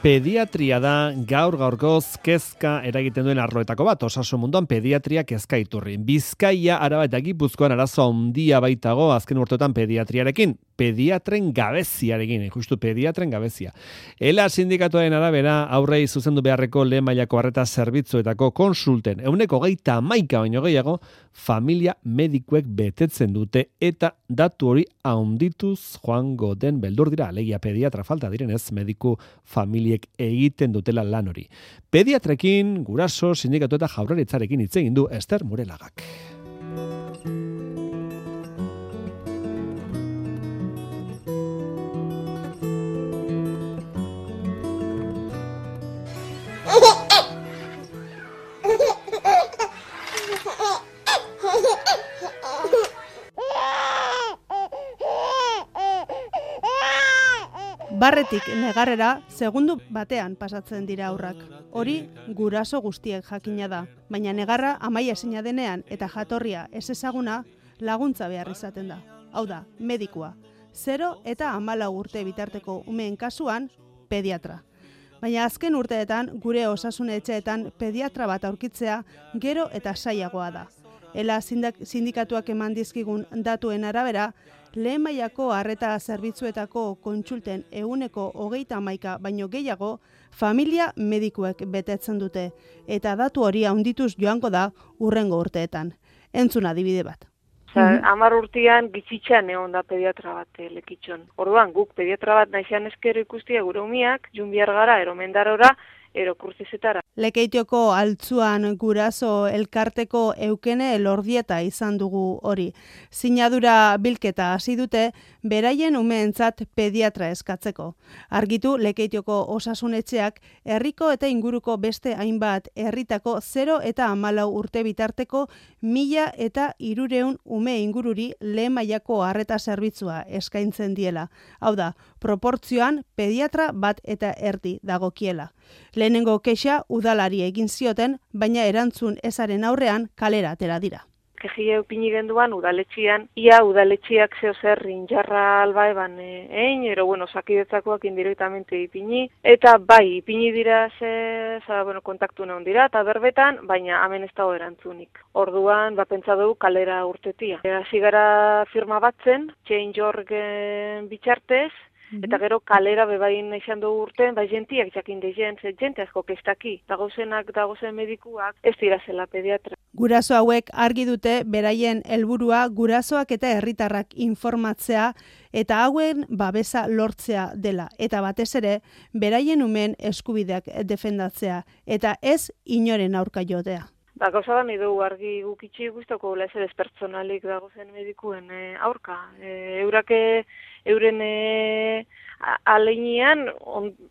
Pediatria da gaur-gaurkoz kezka eragiten duen arloetako bat, osasun munduan pediatria kezka iturri. Bizkaia, Araba eta Gipuzkoan arazo handia baitago azken urteotan pediatriarekin, pediatren gabeziarekin, justu pediatren gabezia. Ela sindikatuaren arabera aurrei zuzendu beharreko lehen mailako arreta zerbitzuetako konsulten 21% baino gehiago familia medikuek betetzen dute eta datu hori handituz joango den beldur dira, alegia pediatra falta direnez mediku familiek egiten dutela lan hori. Pediatrekin, guraso, sindikatu eta jaurlaritzarekin hitz egin du Ester Murelagak. Barretik negarrera, segundu batean pasatzen dira aurrak. Hori guraso guztiek jakina da, baina negarra amaia ezina denean eta jatorria ez ezaguna laguntza behar izaten da. Hau da, medikua. 0 eta 14 urte bitarteko umeen kasuan, pediatra. Baina azken urteetan gure osasun etxeetan pediatra bat aurkitzea gero eta sailagoa da. Ela sindikatuak eman dizkigun datuen arabera, lehen mailako arreta zerbitzuetako kontsulten 21% baino gehiago familia medikuek betetzen dute, eta datu hori handituz joango da hurrengo urteetan. Entzun adibide bat. 10 urtean gitzitzan egon da pediatra bat lekitxon. Orduan, guk pediatra bat naixan eskero ikustia gure umiak, jun behar gara, eromendarora, kurtizetara. Lekeitioko altzuan guraso elkarteko Eukene Elordieta izan dugu hori. Sinadura bilketa hasi dute beraien umeentzat pediatra eskatzeko. Argitu Lekeitioko osasunetxeak herriko eta inguruko beste hainbat herritako 0 eta 14 urte bitarteko 1.300 ume ingururi lehen mailako arreta zerbitzua eskaintzen diela. Hau da, proportzioan pediatra bat eta erdi dagokiela. Lehenengo kexa udalari egin zioten, baina erantzun ezaren aurrean kalera atera dira. Kejia upini genduan udaletxian, ia udaletxiak zeo zer injarra alba eban osakidetzakoak indirektamente ipini, eta bai, ipini dira kontaktu neon dira, eta berbetan, baina hemen ez dago erantzunik. Orduan, pentsa dugu kalera urtetia. Hasi gara firma batzen, Change.org bitxartez, eta gero kalera bebain izan dugu urten, jentiak jakin deien, jente asko kestaki, dagozen medikuak, ez dira zela pediatra. Guraso hauek argi dute beraien helburua gurasoak eta herritarrak informatzea eta hauen babesa lortzea dela. Eta batez ere, beraien umen eskubideak defendatzea eta ez inoren aurka jotea. Gauza da nahi dugu argi gukitxi guztoko ez pertsonalik dagozen medikuen aurka. Euren aleinian,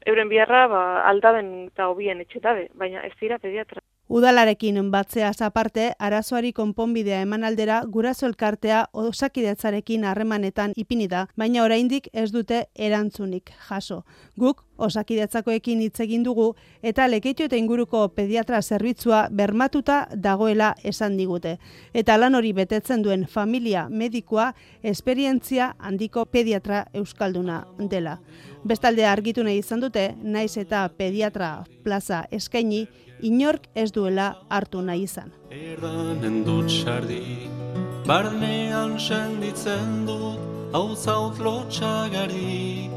euren biharra aldaben eta hobien etxetabe, baina ez dira pediatra. Udalarekin batzeaz aparte, arazoari konponbidea eman aldera guraso elkartea osakidetzarekin harremanetan ipini da, baina oraindik ez dute erantzunik jaso. Guk osakidetzakoekin hitz egin dugu eta Lekeitio eta inguruko pediatra zerbitzua bermatuta dagoela esan digute. Eta lan hori betetzen duen familia medikua esperientzia handiko pediatra euskalduna dela. Bestalde argitu nahi izan dute, naiz eta pediatra plaza eskaini, inork ez duela hartu nahi izan. Erdanen dut sardi, barnean senditzen dut, hau zaut lotxagari.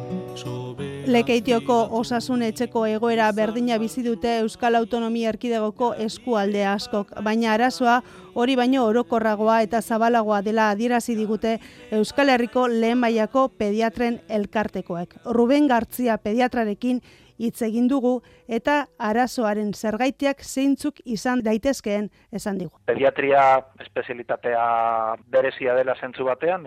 Lekeitioko osasun etxeko egoera berdina bizi dute Euskal Autonomia Erkidegoko eskualde askok, baina arazoa hori baino orokorragoa eta zabalagoa dela adierazi digute Euskal Herriko lehen mailako pediatren elkartekoek. Ruben Gartzia pediatrarekin hitz egin dugu eta arazoaren zergaitiak zeintzuk izan daitezkeen esan digu. Pediatria espezialitatea berezia dela zentzu batean,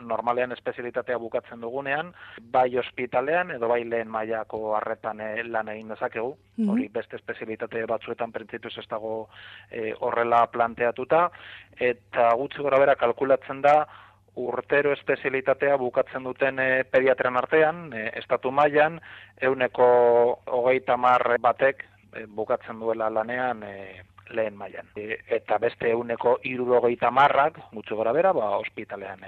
normalean espezialitatea bukatzen dugunean, bai ospitalean edo bai lehen mailako arretan lan egin dezakegu. Hori beste espezialitate batzuetan printzipioz ez dago horrela planteatuta, eta gutxi gorabehera kalkulatzen da urtero espezialitatea bukatzen duten pediatren artean, estatu mailan, 130 batek bukatzen duela lanean lehen mailan. Eta beste 160ak, gutxi gorabehera, ospitalean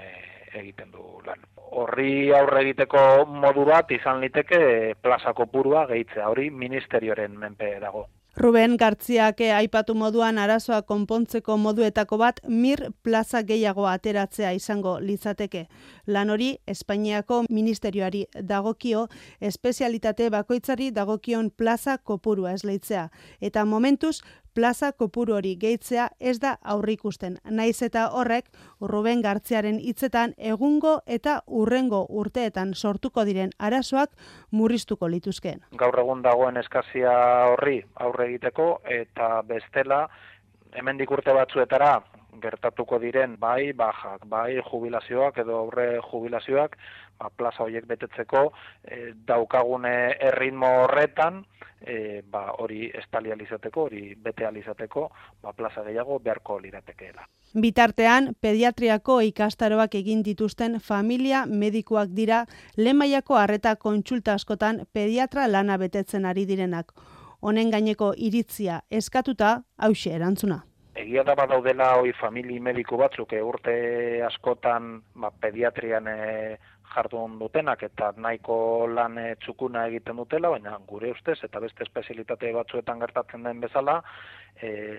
egiten du lan. Horri aurre egiteko modu bat izan liteke plaza kopurua gehitzea, hori ministerioaren menpe dago. Ruben Gartziak aipatu moduan arazoa konpontzeko moduetako bat mir plaza gehiago ateratzea izango litzateke. Lan hori Espainiako ministerioari dagokio, espezialitate bakoitzari dagokion plaza kopurua esleitzea. Eta momentuz, plaza kopuru hori gehitzea ez da aurrikusten. Naiz eta horrek, Ruben Gartziaren hitzetan egungo eta urrengo urteetan sortuko diren arazoak murriztuko lituzkeen. Gaur egun dagoen eskazia horri aurre egiteko eta bestela hemendik urte batzuetara gertatuko diren bai bajak, bai jubilazioak edo aurre jubilazioak, plaza horiek betetzeko daukagune erritmo horretan hori estalializateko, hori bete alizateko, plaza gehiago beharko liratekeela. Bitartean, pediatriako ikastaroak egin dituzten familia medikuak dira lehen mailako arreta kontsulta askotan pediatra lana betetzen ari direnak. Honen gaineko iritzia eskatuta, hauxe erantzuna. Egia da badaudela hoi famili mediku batzuk urte askotan pediatrian jardun dutenak eta nahiko lan txukuna egiten dutela, baina gure ustez eta beste espezialitate batzuetan gertatzen den bezala,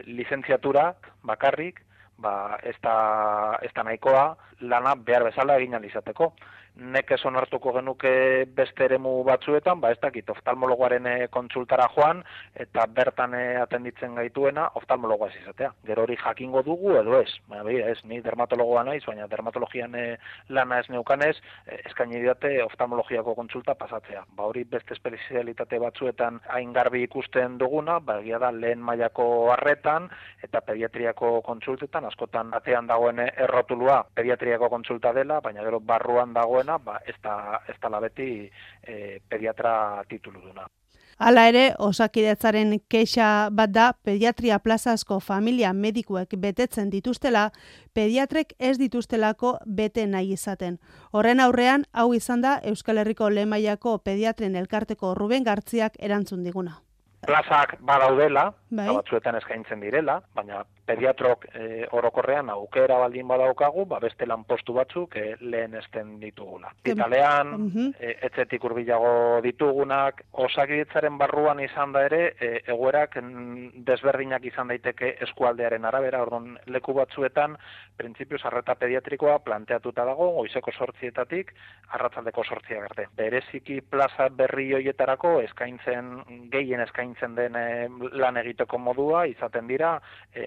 lizentziaturak bakarrik ez da nahikoa lana behar bezala egin alizateko. Nekez onartuko genuke beste eremu batzuetan, ez dakit oftalmologoaren kontsultara joan, eta bertan atenditzen gaituena oftalmologoa ez izatea. Gero hori jakingo dugu edo ez. Ez, ni dermatologoa naiz, baina dermatologian lana ez neukanez, eskaini didate oftalmologiako kontsulta pasatzea. Hori beste espezialitate batzuetan hain garbi ikusten duguna, egia da lehen mailako arretan, eta pediatriako kontsultetan, askotan atean dagoen errotulua pediatriako kontsulta dela, baina gero barruan dagoen ez da beti pediatra tituluduna. Hala ere, Osakidetzaren kexa bat da pediatria plazazko familia medikuek betetzen dituztela, pediatrek ez dituztelako bete nahi izaten. Horren aurrean, hau izan da Euskal Herriko lehen mailako pediatren elkarteko Ruben Gartziak erantzun diguna. Plazak badaudela, batzuetan eskaintzen direla, baina pediatrok orokorrean aukera baldin badaukagu, beste lanpostu batzuk lehenesten ditugula. Italean, etxetik hurbilago ditugunak, Osakidetzaren barruan izan da ere, egoerak desberdinak izan daiteke eskualdearen arabera, orduan leku batzuetan, printzipioz arreta pediatrikoa planteatuta dago, goizeko 8:00 arratsaldeko 8:00 arte. Bereziki plaza berri hoietarako gehien eskaintzen den lan egiteko modua izaten dira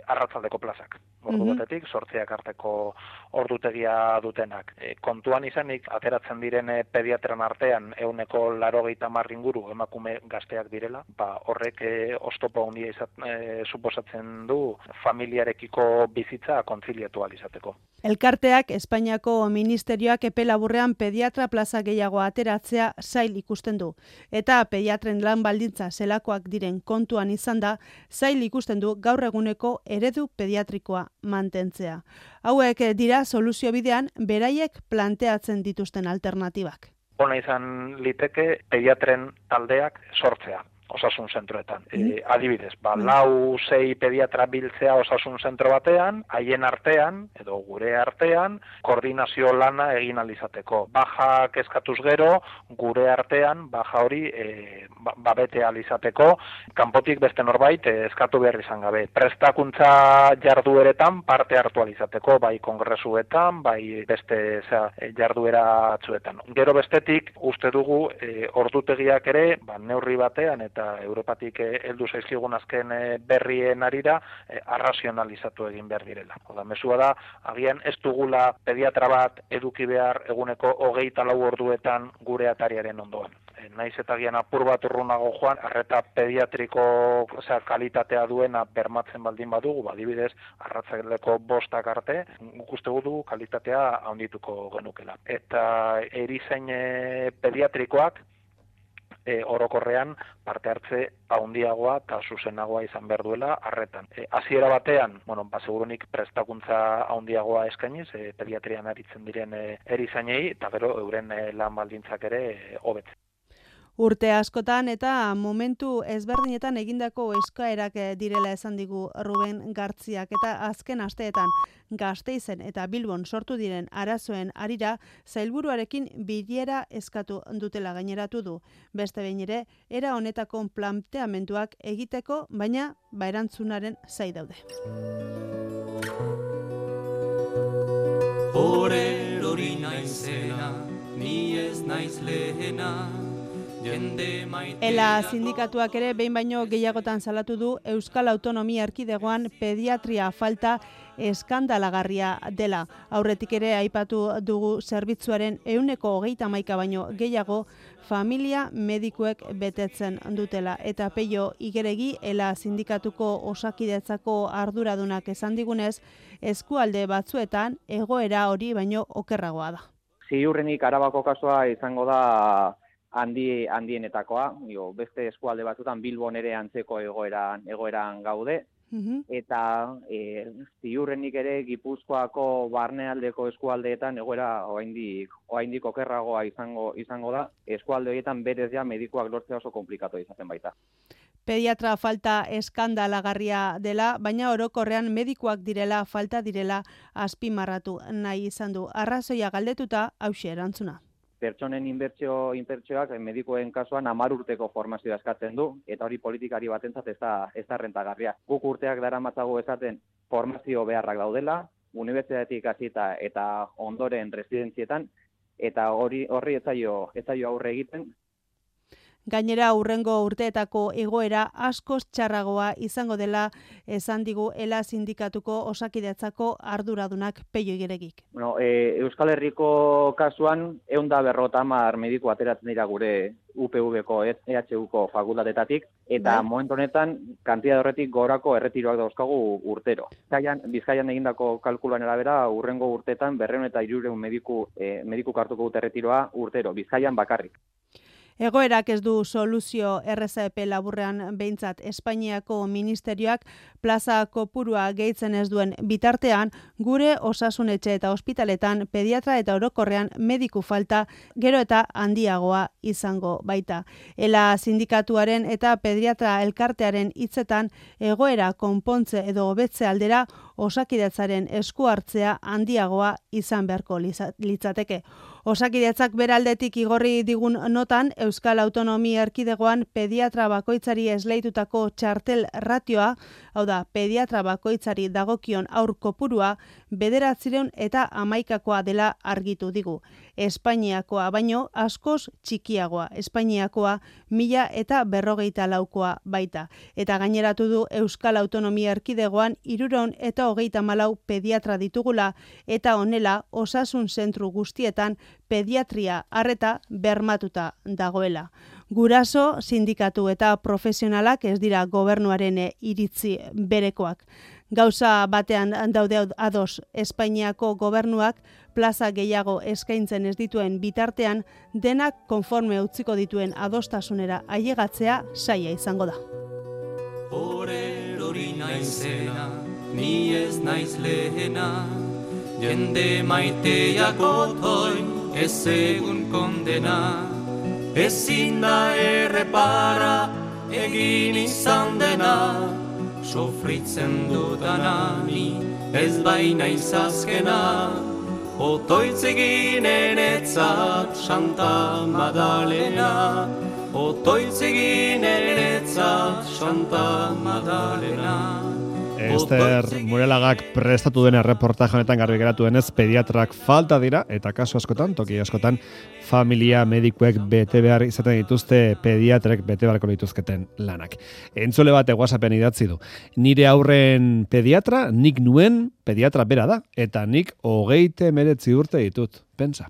arratsaldeko plazak. Ordu batetik 8:00 arteko ordutegia dutenak. Kontuan izanik ateratzen diren pediatran artean 180 inguru emakume gazteak direla, horrek oztopo handia suposatzen du familiarekiko bizitza kontziliatu ahal izateko. Elkarteak Espainiako ministerioak epe laburrean pediatra plaza gehiago ateratzea zail ikusten du. Eta pediatren lan baldintza zelakoak diren kontuan izan da, zail ikusten du gaur eguneko eredu pediatrikoa mantentzea. Hauek dira soluzio bidean beraiek planteatzen dituzten alternatibak. Ona izan liteke pediatren taldeak sortzea. Osasun zentroetan. Adibidez, 4-6 pediatra biltzea osasun zentro batean, haien artean, edo gure artean, koordinazio lana egin alizateko. Bajak eskatuz gero, gure artean, baja hori bete alizateko, kanpotik beste norbait eskatu behar izan gabe. Prestakuntza jardueretan parte hartu alizateko, bai kongresuetan, bai beste jarduera atzuetan. Gero bestetik, uste dugu, ordutegiak ere, neurri batean, eta Europatik heldu zaizkigun azken berrien arira arrazionalizatu egin behar direla. Mesua da, agian ez dugula pediatra bat eduki behar eguneko 24 orduetan gure atariaren ondoan. Naiz eta agian apur bat urrunago joan, arreta pediatriko kalitatea duena bermatzen baldin badugu, adibidez, arratsaldeko 5 arte, guk uste dugu kalitatea handituko genukela. Eta erizain pediatrikoak orokorrean parte hartze handiagoa eta zuzenagoa izan behar duela arretan. Hasiera batean, segurunik prestakuntza handiagoa eskainiz, pediatrian aritzen diren erizainei, eta gero euren lan baldintzak ere hobetzen. Urte askotan eta momentu ezberdinetan egindako eskaerak direla esan digu Ruben Gartziak, eta azken asteetan Gasteizen eta Bilbon sortu diren arazoen harira sailburuarekin bilera eskatu dutela gaineratu du. Beste behin ere, era honetako planteamenduak egiteko, baina erantzunaren zai daude. Horerori naizena, ni ez naiz lehena. Ela sindikatuak ere behin baino gehiagotan salatu du Euskal Autonomia Erkidegoan pediatria falta eskandalagarria dela. Aurretik ere aipatu dugu zerbitzuaren 131 baino gehiago familia medikuek betetzen dutela. Eta Peio Igeregi, Ela sindikatuko Osakidetzako arduradunak esan digunez, eskualde batzuetan egoera hori baino okerragoa da. Ziurrenik Arabako kasua izango da handienetakoa, beste eskualde batzutan Bilbon ere antzeko egoeran gaude, eta ziurrenik ere Gipuzkoako barnealdeko eskualdeetan egoera oraindik okerragoa izango da, eskualde horietan berez ja medikuak lortzea oso komplikatu izaten baita. Pediatra falta eskandalagarria dela, baina orokorrean medikuak falta direla azpimarratu nahi izan du. Arrazoia galdetuta hauxe erantzuna. Pertsonen inbertsioak medikuen kasuan 10 urteko formazioa eskatzen du, eta hori politikari batentzat ez da rentagarria. Guk urteak daramatzagu esaten formazio beharrak daudela, unibertsitatetik hasita eta ondoren residentzietan, eta horri ez zaio aurre egiten. Gainera, hurrengo urteetako egoera askoz txarragoa izango dela esan digu Ela sindikatuko Osakidetzako arduradunak Peio Igeregik. Euskal Herriko kasuan 150 mediku ateratzen dira gure UPV-ko, EHU-ko fakultatetatik, eta momentu honetan kantitate horretik gorako erretiroak dauzkagu urtero. Bizkaian egindako kalkuluan arabera, hurrengo urteetan 200 mediku hartuko dute erretiroa urtero, Bizkaian bakarrik. Egoerak ez du soluzio RZP laburrean behintzat. Espainiako ministerioak plaza kopurua gehitzen ez duen bitartean, gure osasunetxe eta ospitaletan pediatra eta orokorrean mediku falta gero eta handiagoa izango baita. Ela sindikatuaren eta pediatra elkartearen hitzetan egoera konpontze edo hobetze aldera Osakidetzaren esku hartzea handiagoa izan beharko litzateke. Osakidetzak beraldetik igorri digun notan, Euskal Autonomia Erkidegoan pediatra bakoitzari esleitutako txartel ratioa, hau da, pediatra bakoitzari dagokion aur kopurua, 911 dela argitu digu. Espainiakoa baino askoz txikiagoa, Espainiakoa 1054 baita. Eta gaineratu du Euskal Autonomia Erkidegoan 334 pediatra ditugula, eta honela osasun zentru guztietan pediatria arreta bermatuta dagoela. Guraso, sindikatu eta profesionalak ez dira gobernuaren iritzi berekoak. Gauza batean daude ados, Espainiako gobernuak plaza gehiago eskaintzen ez dituen bitartean, denak konforme utziko dituen adostasunera ailegatzea zaila izango da. Horerori naizena, ni ez naiz lehena, jende maiteak otoin ez egun kondena, ezin da errepara egin izan dena, sofritzen dudanani ez baina izazkena, otoitzeginen etzat Santa Madalena, otoitzeginen etzat Santa Madalena. Ester Murelagak prestatu den erreportaje honetan garbi geratu denez, pediatrak falta dira, eta kasu askotan, toki askotan, familia medikuek bete behar izaten dituzte pediatrek bete beharko dituzketen lanak. Entzule bat WhatsAppen idatzi du. Nire aurren pediatra, nik nuen pediatra bera da, eta nik 39 urte ditut, pentsa.